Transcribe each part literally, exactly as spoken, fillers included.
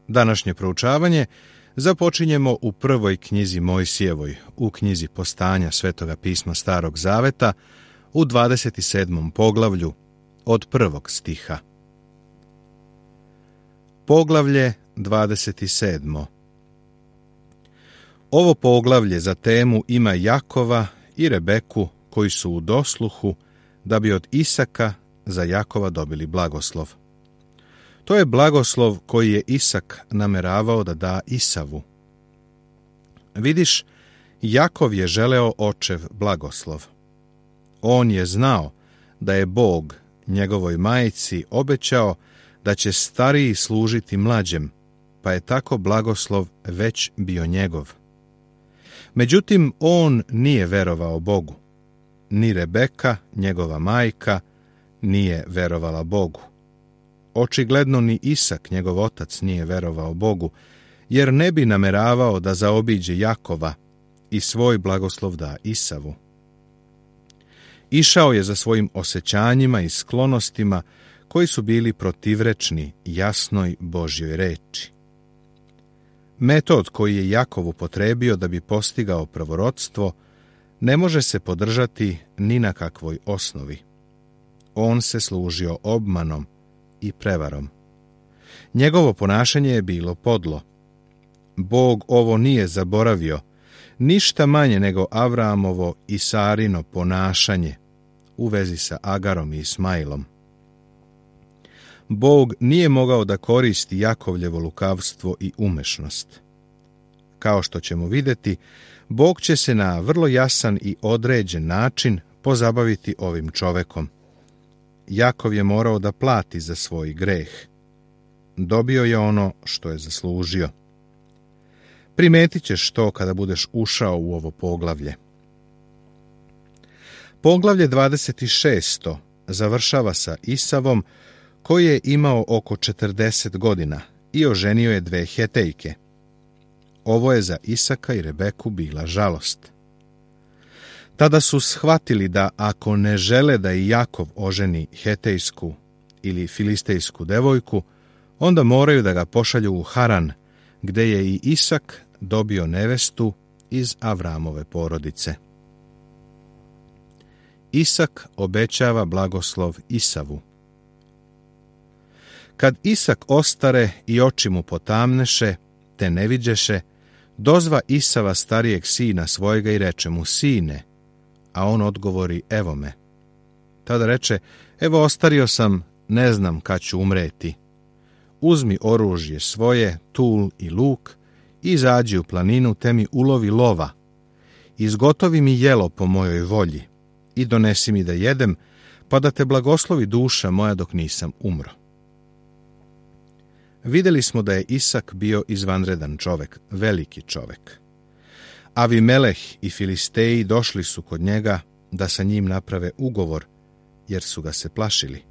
Današnje proučavanje započinjemo u prvoj knjizi Mojsijevoj, u knjizi Postanja Svetoga pisma Starog Zaveta, u dvadeset sedmom poglavlju, od prvog stiha. Poglavlje dvadeset sedmo. Ovo poglavlje za temu ima Jakova i Rebeku koji su u dosluhu da bi od Isaka za Jakova dobili blagoslov. To je blagoslov koji je Isak nameravao da da Isavu. Vidiš, Jakov je želeo očev blagoslov. On je znao da je Bog njegovoj majci obećao da će stariji služiti mlađem, pa je tako blagoslov već bio njegov. Međutim, on nije verovao Bogu. Ni Rebeka, njegova majka, nije verovala Bogu. Očigledno ni Isak, njegov otac, nije verovao Bogu, jer ne bi nameravao da zaobiđe Jakova i svoj blagoslov da Isavu. Išao je za svojim osjećanjima i sklonostima koji su bili protivrečni jasnoj Božjoj reči. Metod koji je Jakov upotrebio da bi postigao pravorodstvo ne može se podržati ni na kakvoj osnovi. On se služio obmanom i prevarom. Njegovo ponašanje je bilo podlo. Bog ovo nije zaboravio, ništa manje nego Avramovo i Sarino ponašanje u vezi sa Agarom i Ismailom. Bog nije mogao da koristi Jakovljevo lukavstvo i umešnost. Kao što ćemo vidjeti, Bog će se na vrlo jasan i određen način pozabaviti ovim čovekom. Jakov je morao da plati za svoj greh. Dobio je ono što je zaslužio. Primetit ćeš to kada budeš ušao u ovo poglavlje. Poglavlje dvadeset šest završava sa Isavom, koji je imao oko četrdeset godina i oženio je dve Hetejke. Ovo je za Isaka i Rebeku bila žalost. Tada su shvatili da ako ne žele da i Jakov oženi hetejsku ili filistejsku devojku, onda moraju da ga pošalju u Haran, gde je i Isak dobio nevestu iz Avramove porodice. Isak obećava blagoslov Isavu. Kad Isak ostare i oči mu potamneše, te ne viđeše, dozva Isava starijeg sina svojega i reče mu: Sine, a on odgovori: Evo me. Tada reče: Evo, ostario sam, ne znam kad ću umreti. Uzmi oružje svoje, tul i luk, i izađi u planinu, te mi ulovi lova. Izgotovi mi jelo po mojoj volji i donesi mi da jedem, pa da te blagoslovi duša moja dok nisam umro. Vidjeli smo da je Isak bio izvanredan čovek, veliki čovek. Avimeleh i Filisteji došli su kod njega da sa njim naprave ugovor, jer su ga se plašili.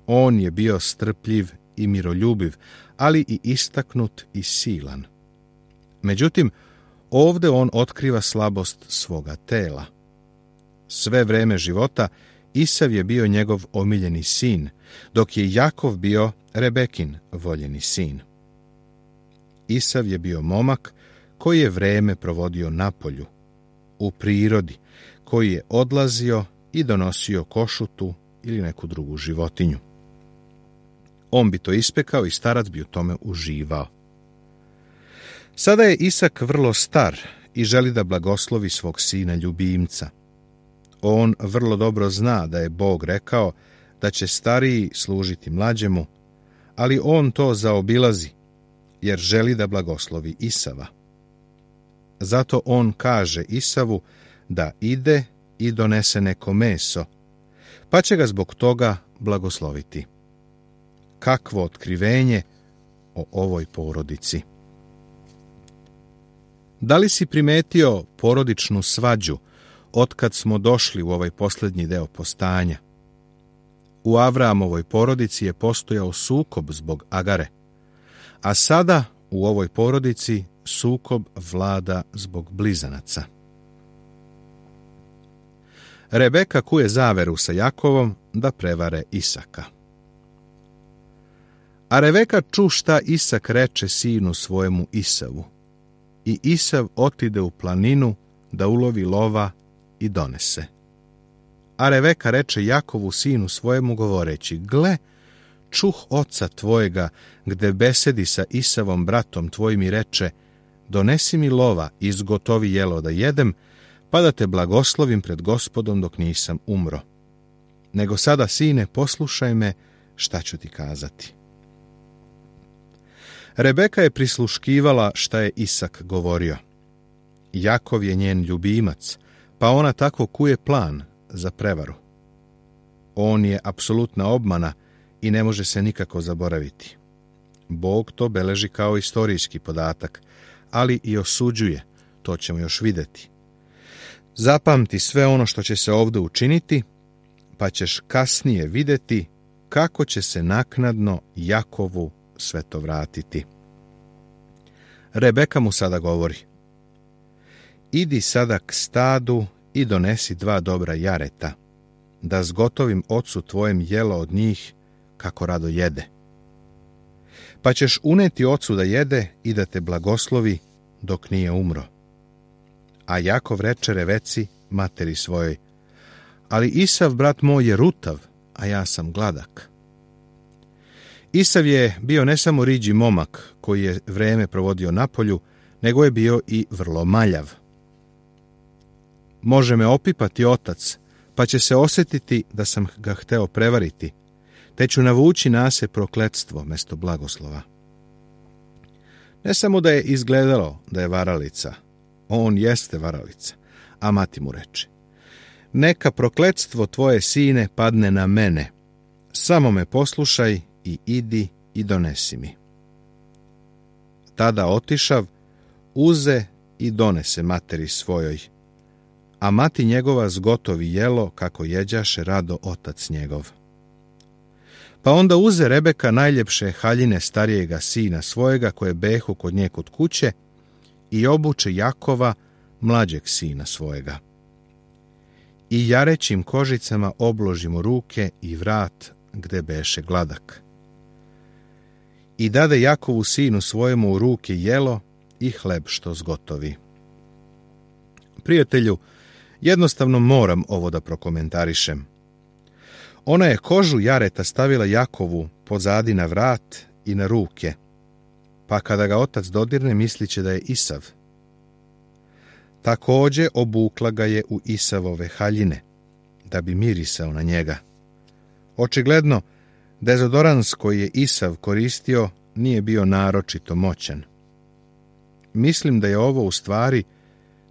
On je bio strpljiv i miroljubiv, ali i istaknut i silan. Međutim, ovde on otkriva slabost svoga tela. Sve vreme života Isav je bio njegov omiljeni sin, dok je Jakov bio Rebekin voljeni sin. Isav je bio momak koji je vreme provodio na polju, u prirodi, koji je odlazio i donosio košutu ili neku drugu životinju. On bi to ispekao i starac bi u tome uživao. Sada je Isak vrlo star i želi da blagoslovi svog sina ljubimca. On vrlo dobro zna da je Bog rekao da će stariji služiti mlađemu, ali on to zaobilazi, jer želi da blagoslovi Isava. Zato on kaže Isavu da ide i donese neko meso, pa će ga zbog toga blagosloviti. Kakvo otkrivenje o ovoj porodici! Da li si primetio porodičnu svađu otkad smo došli u ovaj posljednji deo postanja? U Avramovoj porodici je postojao sukob zbog Agare, a sada u ovoj porodici sukob vlada zbog blizanaca. Rebeka kuje zaveru sa Jakovom da prevare Isaka. A Reveka ču šta Isak reče sinu svojemu Isavu. I Isav otide u planinu da ulovi lova i donese. A Reveka reče Jakovu sinu svojemu govoreći, gle, čuh oca tvojega, gde besedi sa Isavom bratom tvojim i reče, donesi mi lova i izgotovi jelo da jedem, pa da te blagoslovim pred Gospodom dok nisam umro. Nego sada, sine, poslušaj me, šta ću ti kazati. Rebeka je prisluškivala šta je Isak govorio. Jakov je njen ljubimac, pa ona tako kuje plan za prevaru. On je apsolutna obmana i ne može se nikako zaboraviti. Bog to beleži kao istorijski podatak, ali i osuđuje, to ćemo još vidjeti. Zapamti sve ono što će se ovdje učiniti, pa ćeš kasnije vidjeti kako će se naknadno Jakovu sve to vratiti. Rebeka mu sada govori, idi sada k stadu i donesi dva dobra jareta, da zgotovim ocu tvojem jelo od njih kako rado jede. Pa ćeš uneti ocu da jede i da te blagoslovi dok nije umro. A Jakov reče Reveci, materi svojoj, ali Isav, brat moj, je rutav, a ja sam gladak. Isav je bio ne samo riđi momak koji je vreme provodio na polju, nego je bio i vrlo maljav. Može me opipati otac, pa će se osjetiti da sam ga hteo prevariti, te ću navući na se prokletstvo mesto blagoslova. Ne samo da je izgledalo da je varalica, on jeste varalica, a mati mu reče, neka prokletstvo tvoje, sine, padne na mene, samo me poslušaj i idi i donesi mi. Tada otišav, uze i donese materi svojoj, a mati njegova zgotovi jelo kako jeđaše rado otac njegov. Pa onda uze Rebeka najljepše haljine starijega sina svojega koje behu kod nje kod kuće i obuče Jakova mlađeg sina svojega. I jarećim kožicama obložimo ruke i vrat gde beše gladak. I dade Jakovu sinu svojemu u ruke jelo i hleb što zgotovi. Prijatelju, jednostavno moram ovo da prokomentarišem. Ona je kožu jareta stavila Jakovu pozadi na vrat i na ruke, pa kada ga otac dodirne misliće da je Isav. Također obukla ga je u Isavove haljine, da bi mirisao na njega. Očigledno, dezodorans koji je Isav koristio nije bio naročito moćan. Mislim da je ovo u stvari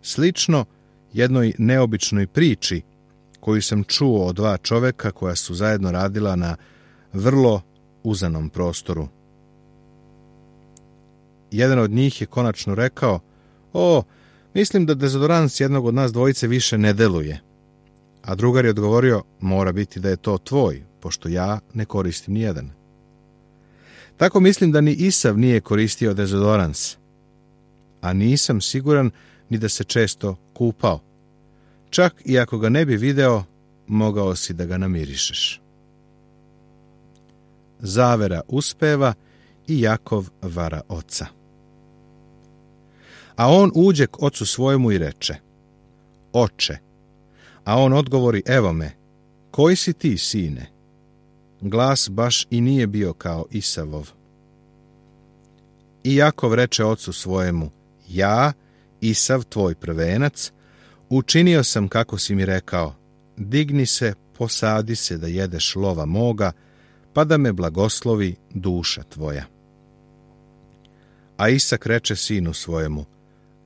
slično jednoj neobičnoj priči koju sam čuo od dva čoveka koja su zajedno radila na vrlo uzanom prostoru. Jedan od njih je konačno rekao, o, mislim da dezodorans jednog od nas dvojice više ne deluje. A drugar je odgovorio, mora biti da je to tvoj, pošto ja ne koristim nijedan. Tako mislim da ni Isav nije koristio dezodorans, a nisam siguran ni da se često kupao. Čak i ako ga ne bi video, mogao si da ga namirišeš. Zavera uspeva i Jakov vara oca. A on uđe k ocu svojemu i reče, oče, a on odgovori, evo me, koji si ti, sine? Glas baš i nije bio kao Isavov. I Jakov reče ocu svojemu, ja, Isav, tvoj prvenac, učinio sam kako si mi rekao, digni se, posadi se da jedeš lova moga, pa da me blagoslovi duša tvoja. A Isak reče sinu svojemu,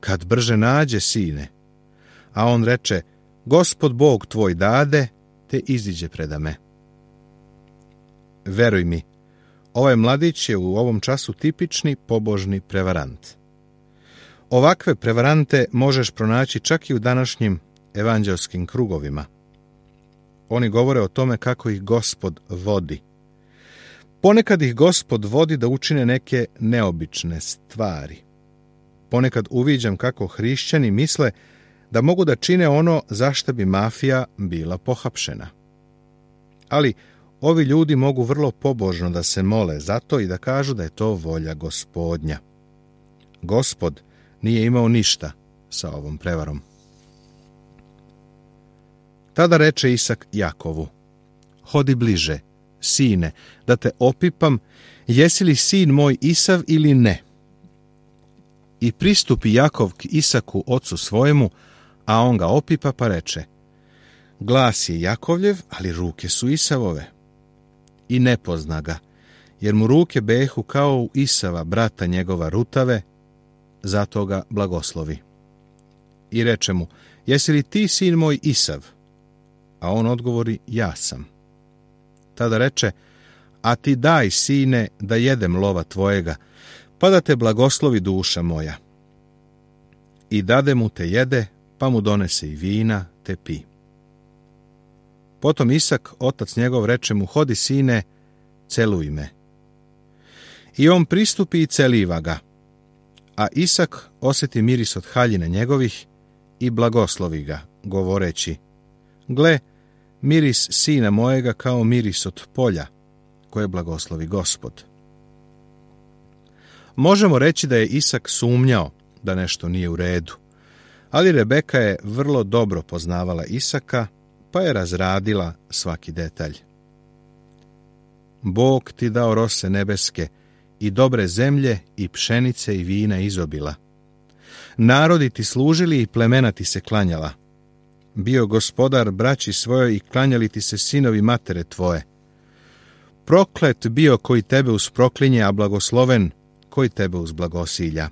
kad brže nađe, sine, a on reče, Gospod Bog tvoj dade, te iziđe preda me. Veruj mi, ovaj mladić je u ovom času tipični pobožni prevarant. Ovakve prevarante možeš pronaći čak i u današnjim evanđelskim krugovima. Oni govore o tome kako ih Gospod vodi. Ponekad ih Gospod vodi da učine neke neobične stvari. Ponekad uviđam kako hrišćani misle da mogu da čine ono za što bi mafija bila pohapšena. Ali Ovi ljudi mogu vrlo pobožno da se mole za to i da kažu da je to volja Gospodnja. Gospod nije imao ništa sa ovom prevarom. Tada reče Isak Jakovu: hodi bliže, sine, da te opipam, jesi li sin moj Isav ili ne? I pristupi Jakov k Isaku ocu svojemu, a on ga opipa pa reče: glas je Jakovljev, ali ruke su Isavove. I ne pozna ga, jer mu ruke behu kao u Isava, brata njegova, rutave, zato ga blagoslovi. I reče mu: jesi li ti sin moj Isav? A on odgovori: ja sam. Tada reče: a ti daj, sine, da jedem lova tvojega, pa da te blagoslovi duša moja. I dade mu te jede, pa mu donese i vina, te pi. Potom Isak, otac njegov, reče mu: hodi, sine, celuj me. I on pristupi i celiva ga. A Isak osjeti miris od haljina njegovih i blagoslovi ga, govoreći: gle, miris sina mojega kao miris od polja, koje blagoslovi Gospod. Možemo reći da je Isak sumnjao da nešto nije u redu, ali Rebeka je vrlo dobro poznavala Isaka, pa je razradila svaki detalj. Bog ti dao rose nebeske i dobre zemlje i pšenice i vina izobila. Narodi ti služili i plemena ti se klanjala. Bio gospodar braći svojoj i klanjali ti se sinovi matere tvoje. Proklet bio koji tebe usproklinje, a blagosloven koji tebe uzblagosilja.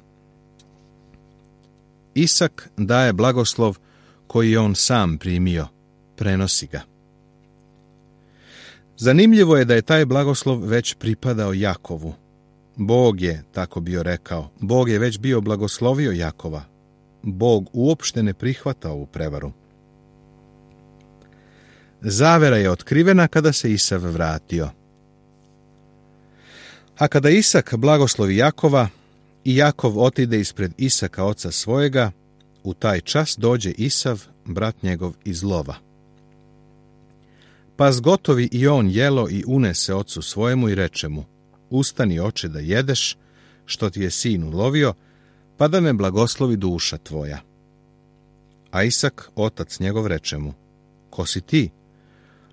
Isak daje blagoslov koji je on sam primio, prenosi ga. Zanimljivo je da je taj blagoslov već pripadao Jakovu. Bog je tako bio rekao, Bog je već bio blagoslovio Jakova. Bog uopšte ne prihvata ovu prevaru. Zavera je otkrivena kada se Isav vratio. A kada Isak blagoslovi Jakova i Jakov otide ispred Isaka oca svojega, u taj čas dođe Isav, brat njegov, iz lova. Pa zgotovi i on jelo i unese ocu svojemu i reče mu: ustani, oče, da jedeš, što ti je sin ulovio, pa da me blagoslovi duša tvoja. A Isak, otac njegov, reče mu: ko si ti?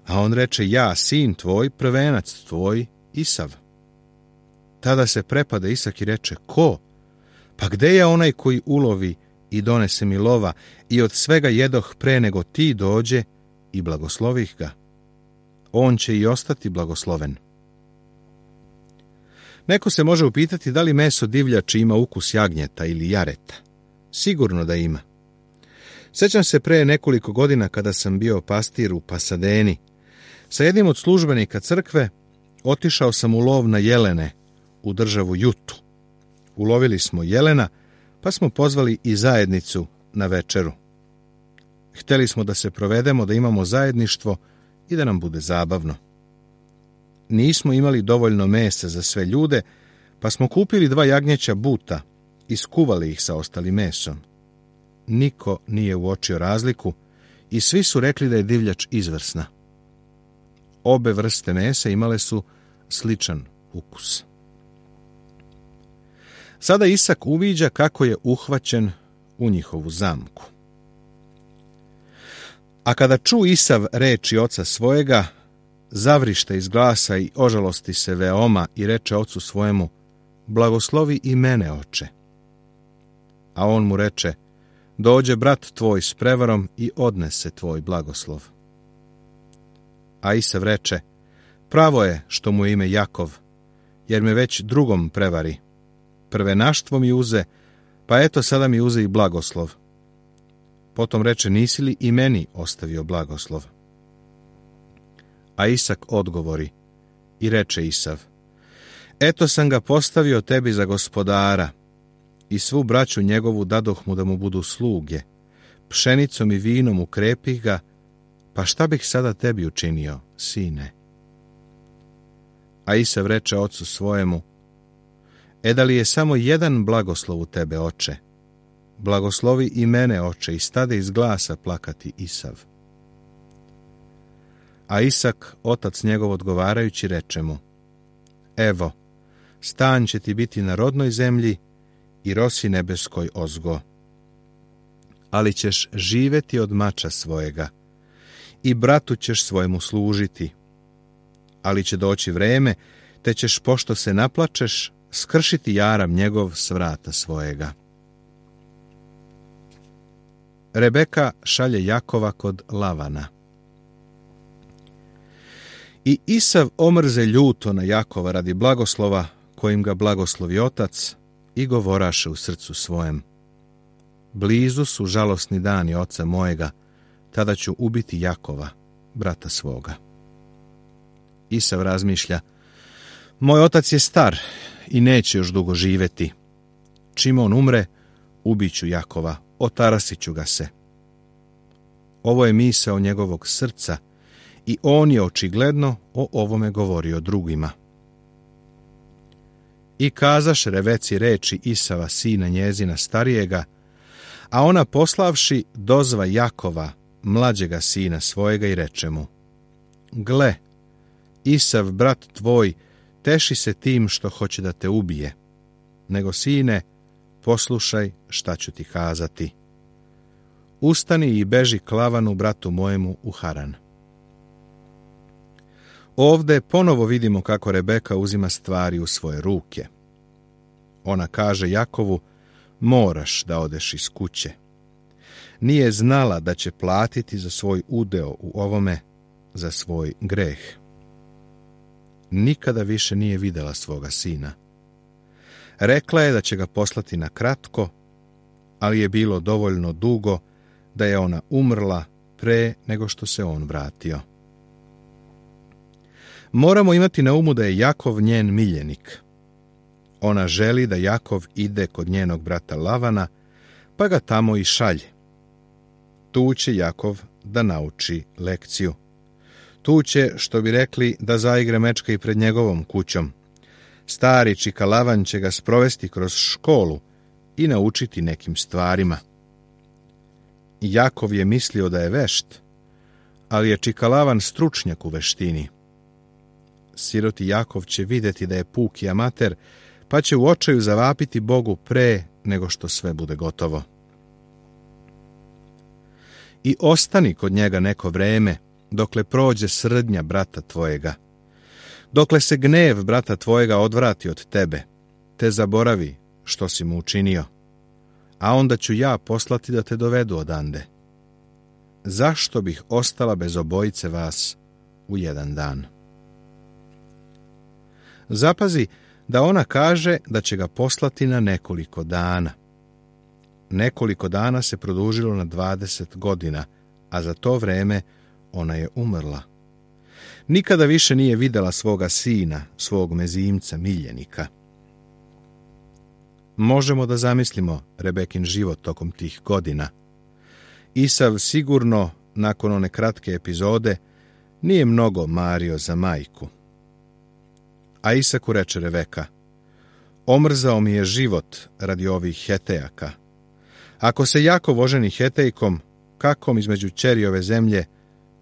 A on reče: ja, sin tvoj, prvenac tvoj, Isav. Tada se prepade Isak i reče: ko? Pa gde je onaj koji ulovi i donese mi lova, i od svega jedoh pre nego ti dođe i blagoslovih ga? On će i ostati blagosloven. Neko se može upitati da li meso divljači ima ukus jagnjeta ili jareta. Sigurno da ima. Sjećam se pre nekoliko godina kada sam bio pastir u Pasadeni. Sa jednim od službenika crkve otišao sam u lov na jelene u državu Jutu. Ulovili smo jelena, pa smo pozvali i zajednicu na večeru. Htjeli smo da se provedemo, da imamo zajedništvo i da nam bude zabavno. Nismo imali dovoljno mesa za sve ljude, pa smo kupili dva jagnjeća buta i skuvali ih sa ostalim mesom. Niko nije uočio razliku i svi su rekli da je divljač izvrsna. Obe vrste mesa imale su sličan ukus. Sada Isak uviđa kako je uhvaćen u njihovu zamku. A kada ču Isav reči oca svojega, zavrište iz glasa i ožalosti se veoma i reče ocu svojemu: blagoslovi i mene, oče. A on mu reče: dođe brat tvoj s prevarom i odnese tvoj blagoslov. A Isav reče: pravo je što mu je ime Jakov, jer me već drugom prevari. Prvenaštvo mi uze, pa eto sada mi uze i blagoslov. Potom reče: nisi li i meni ostavio blagoslov? A Isak odgovori i reče Isav: eto sam ga postavio tebi za gospodara i svu braću njegovu dadoh mu da mu budu sluge, pšenicom i vinom ukrepih ga, pa šta bih sada tebi učinio, sine? A Isav reče ocu svojemu: e da li je samo jedan blagoslov u tebe, oče? Blagoslovi i mene, oče. I stade iz glasa plakati Isav. A Isak, otac njegov, odgovarajući, reče mu: Evo, stan će ti biti na rodnoj zemlji i rosi nebeskoj ozgo. Ali ćeš živeti od mača svojega i bratu ćeš svojemu služiti. Ali će doći vreme, te ćeš, pošto se naplačeš, skršiti jaram njegov s vrata svojega. Rebeka šalje Jakova kod Lavana. I Isav omrze ljuto na Jakova radi blagoslova, kojim ga blagoslovi otac, i govoraše u srcu svojem: Blizu su žalosni dani oca mojega, tada ću ubiti Jakova, brata svoga. Isav razmišlja: Moj otac je star i neće još dugo živjeti. Čim on umre, ubiću Jakova, otarasit ću ga se. Ovo je misao njegovog srca i on je očigledno o ovome govorio drugima. I kazaš Reveci reči Isava, sina njezina starijega, a ona poslavši dozva Jakova, mlađega sina svojega, i reče mu: Gle, Isav, brat tvoj, teši se tim što hoće da te ubije, nego, sine, poslušaj šta ću ti kazati. Ustani i beži k Lavanu, bratu mojemu, u Haran. Ovde ponovo vidimo kako Rebeka uzima stvari u svoje ruke. Ona kaže Jakovu: moraš da odeš iz kuće. Nije znala da će platiti za svoj udeo u ovome, za svoj greh. Nikada više nije videla svoga sina. Rekla je da će ga poslati na kratko, ali je bilo dovoljno dugo da je ona umrla pre nego što se on vratio. Moramo imati na umu da je Jakov njen miljenik. Ona želi da Jakov ide kod njenog brata Lavana, pa ga tamo i šalje. Tu će Jakov da nauči lekciju. Tu će, što bi rekli, da zaigre mečka i pred njegovom kućom. Stari čika Lavan će ga sprovesti kroz školu i naučiti nekim stvarima. Jakov je mislio da je vešt, ali je čika Lavan stručnjak u veštini. Siroti Jakov će vidjeti da je puki amater, pa će u očaju zavapiti Bogu pre nego što sve bude gotovo. I ostani kod njega neko vreme, dokle prođe srdnja brata tvojega, dokle se gnev brata tvojega odvrati od tebe, te zaboravi što si mu učinio, a onda ću ja poslati da te dovedu odande. Zašto bih ostala bez obojice vas u jedan dan? Zapazi da ona kaže da će ga poslati na nekoliko dana. Nekoliko dana se produžilo na dvadeset godina, a za to vreme ona je umrla. Nikada više nije videla svoga sina, svog mezimca, miljenika. Možemo da zamislimo Rebekin život tokom tih godina. Isav sigurno, nakon one kratke epizode, nije mnogo mario za majku. A Isaku reče Rebeka: omrzao mi je život radi ovih Hetejaka. Ako se Jakov oženi Hetejkom, kakom između ćeri ove zemlje,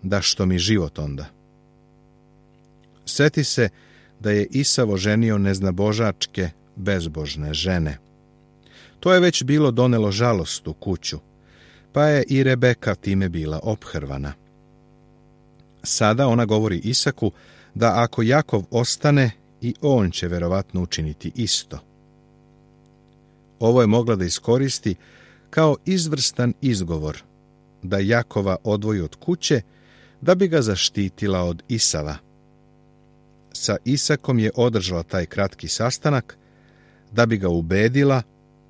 da što mi život onda? Seti se da je Isav oženio neznabožačke, bezbožne žene. To je već bilo donelo žalost u kuću, pa je i Rebeka time bila ophrvana. Sada ona govori Isaku da ako Jakov ostane, i on će verovatno učiniti isto. Ovo je mogla da iskoristi kao izvrstan izgovor da Jakova odvoji od kuće, da bi ga zaštitila od Isava. Sa Isakom je održala taj kratki sastanak da bi ga ubedila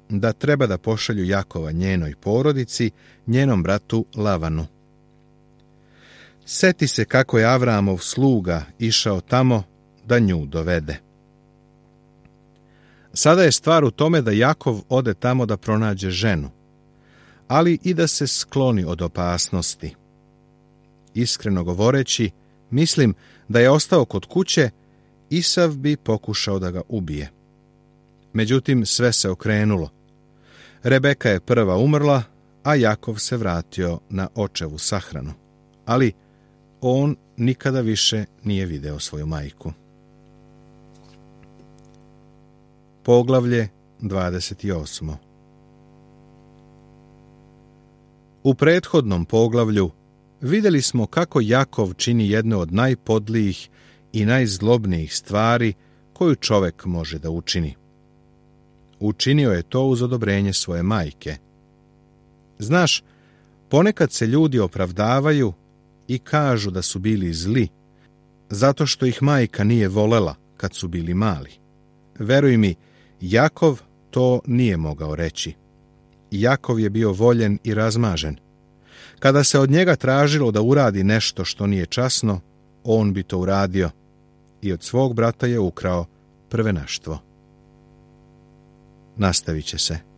da treba da pošalju Jakova njenoj porodici, njenom bratu Lavanu. Seti se kako je Avramov sluga išao tamo da nju dovede. Sada je stvar u tome da Jakov ode tamo da pronađe ženu, ali i da se skloni od opasnosti. Iskreno govoreći, mislim da je ostao kod kuće, Isav bi pokušao da ga ubije. Međutim, sve se okrenulo. Rebeka je prva umrla, a Jakov se vratio na očevu sahranu. Ali on nikada više nije video svoju majku. Poglavlje dvadeset osmo. U prethodnom poglavlju vidjeli smo kako Jakov čini jedno od najpodlijih i najzlobnijih stvari koju čovjek može da učini. Učinio je to uz odobrenje svoje majke. Znaš, ponekad se ljudi opravdavaju i kažu da su bili zli, zato što ih majka nije volela kad su bili mali. Veruj mi, Jakov to nije mogao reći. Jakov je bio voljen i razmažen. Kada se od njega tražilo da uradi nešto što nije časno, on bi to uradio i od svog brata je ukrao prvenaštvo. Nastavit će se.